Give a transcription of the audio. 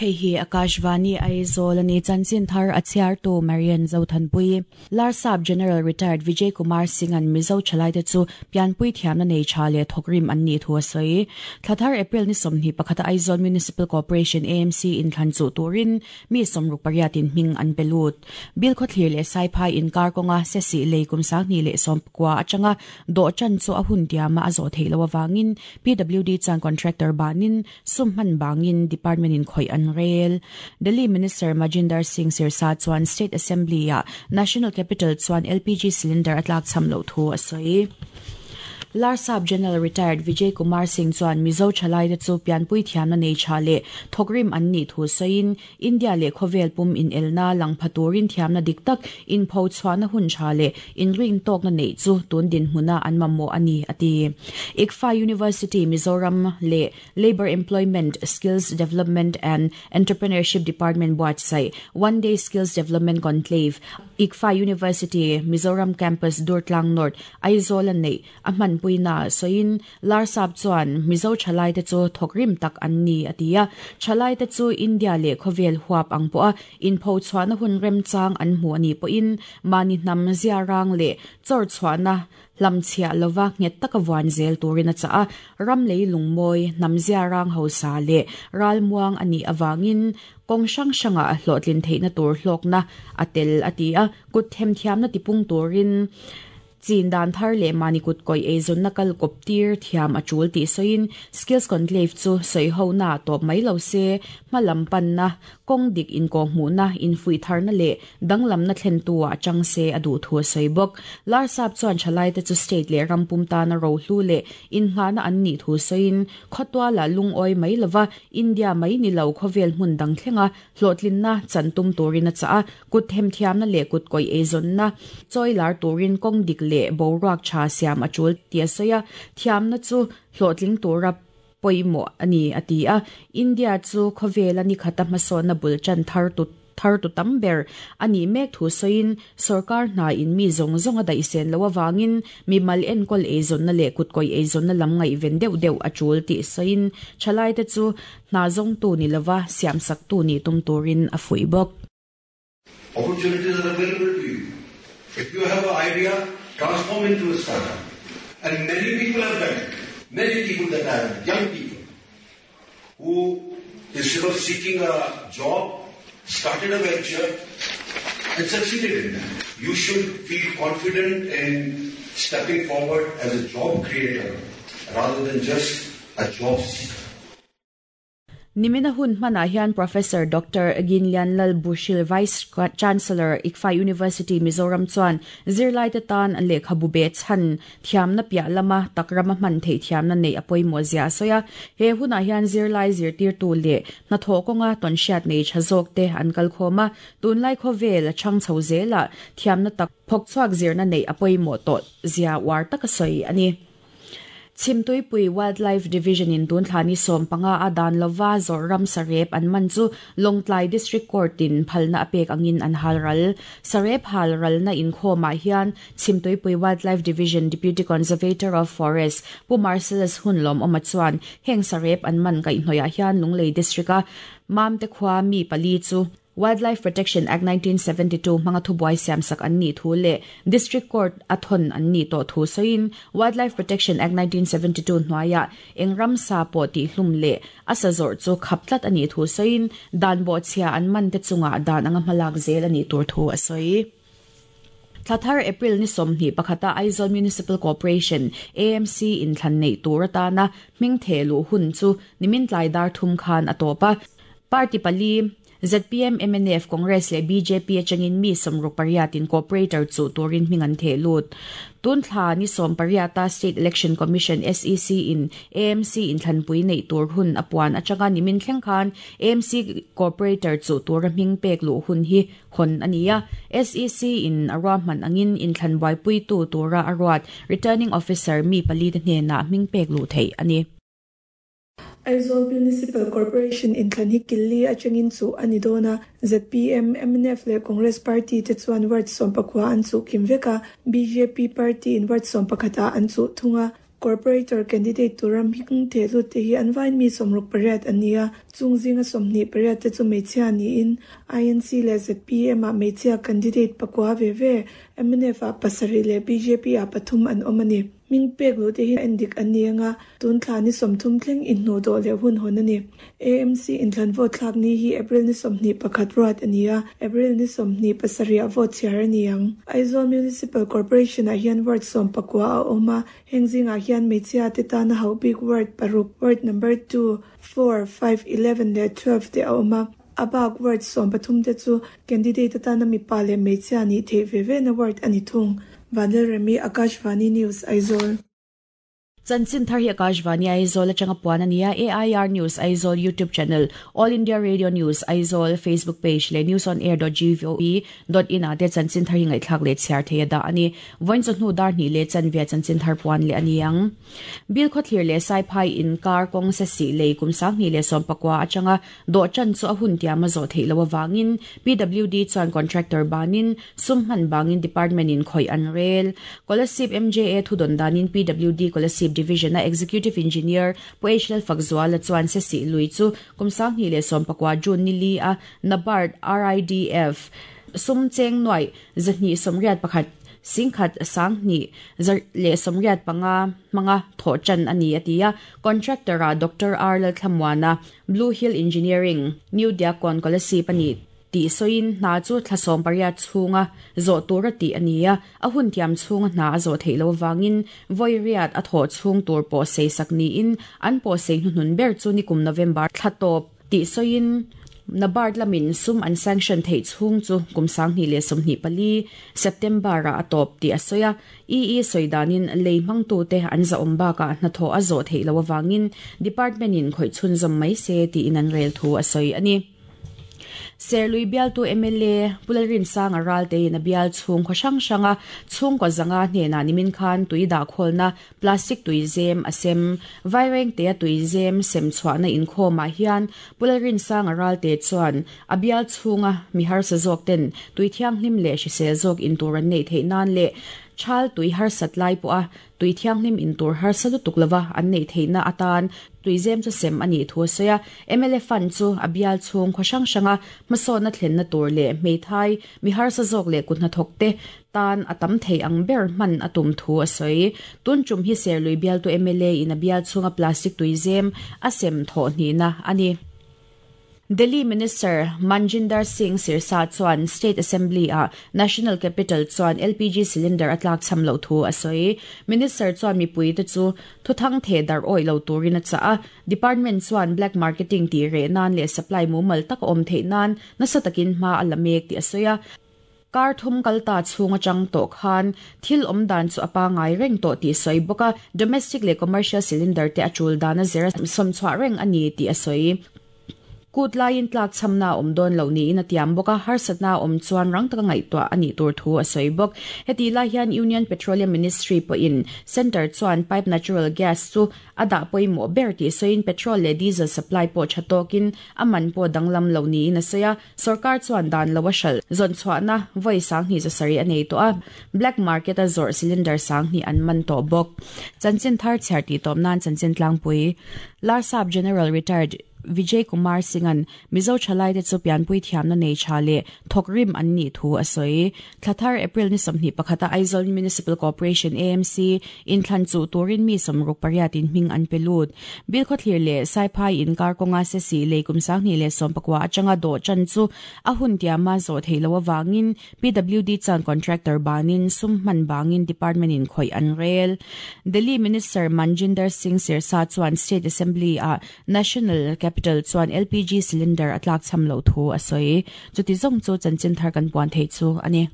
Hei hi Akashvani Aizawl a ni. Chanchin thar a chhiartu Marian Zothanpui. Larsap General Retired Vijay Kumar Singh-a'n Mizo thalaite chu pianpui thiamna nei tha leh thawkrim an nih thu a sawi. Thla thar April ni 21 a Aizawl Municipal Corporation, AMC, inthlan chuh turin mi 68 in hming an pe lut. Bilkhawthlir leh Saiphai inkar kawnga Sesih lei kum 2019 atanga dawh tan chu a hun tiama a zawh theih loh avangin PWD chuan contractor banin Sum hman bangin department in khawih an rel. Delhi Minister Majinder Singh Sirsa chuan State Assembly-ah National Capital chuan LPG cylinder a tlakchham loh thu a sawi. Larsap General Retired Vijay Kumar Singh chuan Mizo thalaite chu pianpui thiamna nei tha leh thawkrim an nih thu sawiin India leh khawvel pum inelna lang pha turin thiamna dik tak inpho chhuahna hun tha leh inrintawkna neih chu tun dinhmuna an mamawh a ni, a ti. ICFA University Mizoram leh Labour Employment, Skills Development and Entrepreneurship Department buatsaih One Day Skills Development Conclave, ICFA University Mizoram Campus Durtlang North, Aizawl a neih a hmanpuina sawiin Larsap chuan Mizo thalaite chu thawkrim tak an ni a ti a, thalaite chu India leh khawvel huap ang pawha inpho chhuahna hun remchang an hmu a nih pawhin mahni hnam ziarang leh chawr chhuahna hlamchhiah lova nghet taka vuan zel turin a chah a, ram lei lungmawi, hnam ziarang hausa leh ralmuang a nih avangin kawng hrang hrangah hlawhtlin theihna tur hlawkna a tel a ti a, kut themthiamna tipung turin Chin dan thar leh mahni kut kawih eizawnna kal kawp tir thiam a tul tih sawiin Skills Conclave chu sawihona ah tawp mai lo se, hma lam panna, kawng dik inkawhhmuhna, infuih tharna leh danglamna thlentu ah chang se a duh thu a sawi bawk. Larsap chuan thalaite chu state leh ram pum tana rohlu leh innghahna an nih thu sawiin khawtualah lungawi mai lova India mai ni lo khawvel hmun dang thlenga Hlawhtlinna chan tum turin a chah a, kut themthiamna leh kut kawih eizawnna chawi lar turin kawng dik leh boruak tha siam a tul tih a sawi a, thiamna chu hlawhtling tura pawimawh a ni a ti a. India chu khawvela nikhata hmasawnna bul tan thar tu thar tu tam ber a nih mek thu sawiin sawrkar hna in mi zawng zawng a daihsen loh avangin mimal enkawl eizawnna leh kut kawih eizawnna lam ngaihven deuh deuh a tul tih sawiin thalaite chu Hna zawngtu ni lova siamsaktu nih tum turin a fuih bawk. Opportunities are available to you. If you have an idea, transform into a startup. And many people have done it. Many people that I have, young people, who instead of seeking a job, started a venture and succeeded in that. You should feel confident in stepping forward as a job creator rather than just a job seeker. Nimina hun hmanah hian Professor Doctor Ginlian Lal Bushil, Vice Chancellor, ICFAI University, Mizoram chuan zirlaite tan lehkhabu beh chhan thiamna piah lama takrama hman theih thiamna neih a pawimawh zia a sawi a. He hunah hian zirlai zirtirtu leh hnathawh kawnga tawnhriat nei tha zawkte an kalkhawm a, tunlai khawvel chhang chho zelah thiamna tak phawkchhuak zirna neih a pawimawh tawh zia uar taka sawi a ni. Chhimtuipui Wildlife Division in tun thla ni 15 a dan lova zawrh ram sarep an man chu Lawngtlai District Court in phalna a pek angin an hal ral. Sarep hal ralna inkhawmah hian Chhimtuipui Wildlife Division Deputy Conservator of Forest Pu Marcellus Hunlawmawma chuan heng sarep an man kaihhnawihah hian Lunglei District a Mamte khua mi pali chu Wildlife Protection Act 1972 hmanga thubuai siamsak an nih thu leh District Court a thawn an nih tawh thu sawiin Wildlife Protection Act 1972 hnuaiah eng ramsa pawh tihhlum leh a sa zawrh chu khap tlat a nih thu sawiin dan bawhchhia an man te chungah dan anga hmalak zel a nih tur thu a sawi. Thla thar April ni 21 a Aizawl Municipal Corporation, AMC, inthlan neih tur atana hming theh luh hun chu nimin tlai dar thum khan a tawp a. Party pali, zpm, mnf, Congress leh bjp atangin mi 68 in corporator chuh turin hming an theh lut. Tun thla ni 18 a State Election Commission, SEC, in AMC inthlanpui neih tur hun a puan atanga nimin thleng khan AMC corporator chuh tura hming pek luh hun hi hawn a ni a. SEC in a ruahman angin inthlan buaipuitu tura a ruat Returning Officer mi pali te hnenah hming pek luh theih a ni. Aizawl Municipal Corporation inthlan hi Killi atangin chuh a ni dawn a, zpm, mnf leh Congress party te chuan ward 19 an chuh kim vek a, bjp party in ward 11 ah an chuh thung a. Corporator candidate tura hming thehlut te hi an vain mi 68 an ni a, chung zinga 28 te chu hmeichhia niin INC leh zpm ah hmeichhia candidate pakua ve ve, mnf ah pasarih leh bjp ah pathum an awm a ni. Hming pek luh te hi en dik an ni anga, tun thla ni 30 thleng inhnuh dawh leh hun hawn a ni. AMC inthlan vote thlak ni hi April ni 21 ruat a ni a, April ni 27 ah vote chhiar a ni ang. Aizawl Municipal Corporation ah hian ward 19 a awm a, heng zingah hian hmeichhia te tana hauh bik ward paruk, ward number 2, 4, 5, 11 leh 12 te a awm a. A bak ward 13 te chu candidate atana mipa leh hmeichhia nih theih ve ve na ward a ni thung. Vanlalremi, Akashvani News, Aizawl. Chanchin thar hi Akashvani Aizawl atanga puan a ni a, AIR News Aizawl YouTube channel, All India Radio News Aizawl Facebook page leh newsonair.gov.in ah te chanchin thar hi ngaihthlak leh chhiar thei a dah a ni. Vawiin chawhnu dar hnih leh chanve chanchin thar puan leh a ni ang. Bilkhawthlir leh Saiphai inkar kawng se sih lei kum 2019 atanga dawh tan chu a hun tiam a zawh theih loh awangin PWD chuan contractor banin sum hman bangin department in khawih an rel. Kolasib MJA thudawn danin PWD Kolasib Division a Executive Engineer Pu H Lal Fakzuala chuan se sih lui chu kum 2019 June ni li a NABARD RIDF sum cheng nuai 281 singkhat sang hnih leh 85 hmanga thawh tan a ni a ti a. Contractor a Dr. R Lalthlamuana Blue Hill Engineering New Diakkawn Kolasib a ni tih sawiin hna chu thla 18 chhunga zawh tur a tih a ni a, a hun tiam chhunga hna a zawh theih loh awangin vawi riat a thawh chhung tur pawh sei sak niin an pawh sei hnuhnun ber chu nikum November thla tawp tih sawiin NABARD lamin sum an sanction theih chhung chu kum 2024 September ah a tawp tih a sawi a. EE sawi danin lei hmangtu te an zahawm bakah hnathawh a zawh theih loh awangin department in khawih chhunzawm mai se tiin an rel thu a sawi a ni. Serlui bialtu MLA Pu Lalrinsanga Raltein a bial chhung khaw hrang hranga chhungkaw zanga hnenah nimin khan tui dah khawlna plastic tui zem a sem. Vairengte a tui zem sem chhuahna inkhawmah hian Pu Lalrinsanga Ralte chuan a bial chhunga mi harsa zawk ten tui thianghlim leh hrisel zawk in tur an neih theih nan leh thal tui harsat lai pawh a tui thianghlim in tur harsa lutuk lova an neih theihna atan tui zem chu sem a nih thu a sawi a. MLA fund chu a bial chhung khaw hrang hranga hmasawnna thlenna tur leh hmeithai mi harsa zawk leh kut hnathawk te tan a tam thei ang ber hman a tum thu a sawi. Tun tum hi Serlui bialtu MLA in a bial chhunga plastic tui zem a sem thawh hnihna a ni. Delhi Minister Manjinder Singh Sirsa chuan State Assembly ah National Capital chuan LPG cylinder a tlak cham loh thu a sawi. Minister chuan mipui te chu thuthang theh darh awih lo turin a chah a. Department chuan black marketing tih reh nan leh supply mumal tak a awm theih nan nasa takin hma a la mek tih a sawi a. Kar thum kalta chhung atang tawh khan thil awm dan chu a pangai reng tawh tih sawi bawk a. Domestic leh commercial cylinder te a tul dan a zir a sawm chhuah reng a ni tih a sawi. Kut laiin tlak chamna a awm dawn loh niin a tiam bawk a, harsatna a awm chuan rang taka ngaihtuah a nih tur thu a sawi bawk. Heti lai hian Union Petroleum Ministry pawhin Centre chuan pipe natural gas chu a dah pawimawh ber tih sawiin petrol leh diesel supply pawh tha tawkin a man pawh danglam lo niin a sawi a. Sarkar chuan dan lo a hralh zawn chhuahna vawi 270 a nei tawh a, black market a zawrh cylinder 2000 an man tawh bawk. Chanchin thar chhiar tih tawp nan chanchin tlangpui Larsap General Retired Vijay Kumar Singh-an Mizo thalai te chu pianpui thiamna nei tha leh thawk rim an nih thu a sawi. Thlathar April ni 21 a Aizawl Municipal Corporation AMC inthlan chu turin mi 68 in hming an pe lut. Bilkhawthlir leh Saiphai inkar kawnga se sih lei kum 2019 atanga dawh tan chu a hun tiama zawh theih loh awangin PWD chuan contractor banin sum hman bangin department in khawih an rel. Delhi Minister Manjinder Singh Sirsa chuan State Assembly ah National Capital chuan LPG cylinder a tlak cham lo thu a sawi. Chuti zawng chu chanchin thar kan puan thei chu a ni.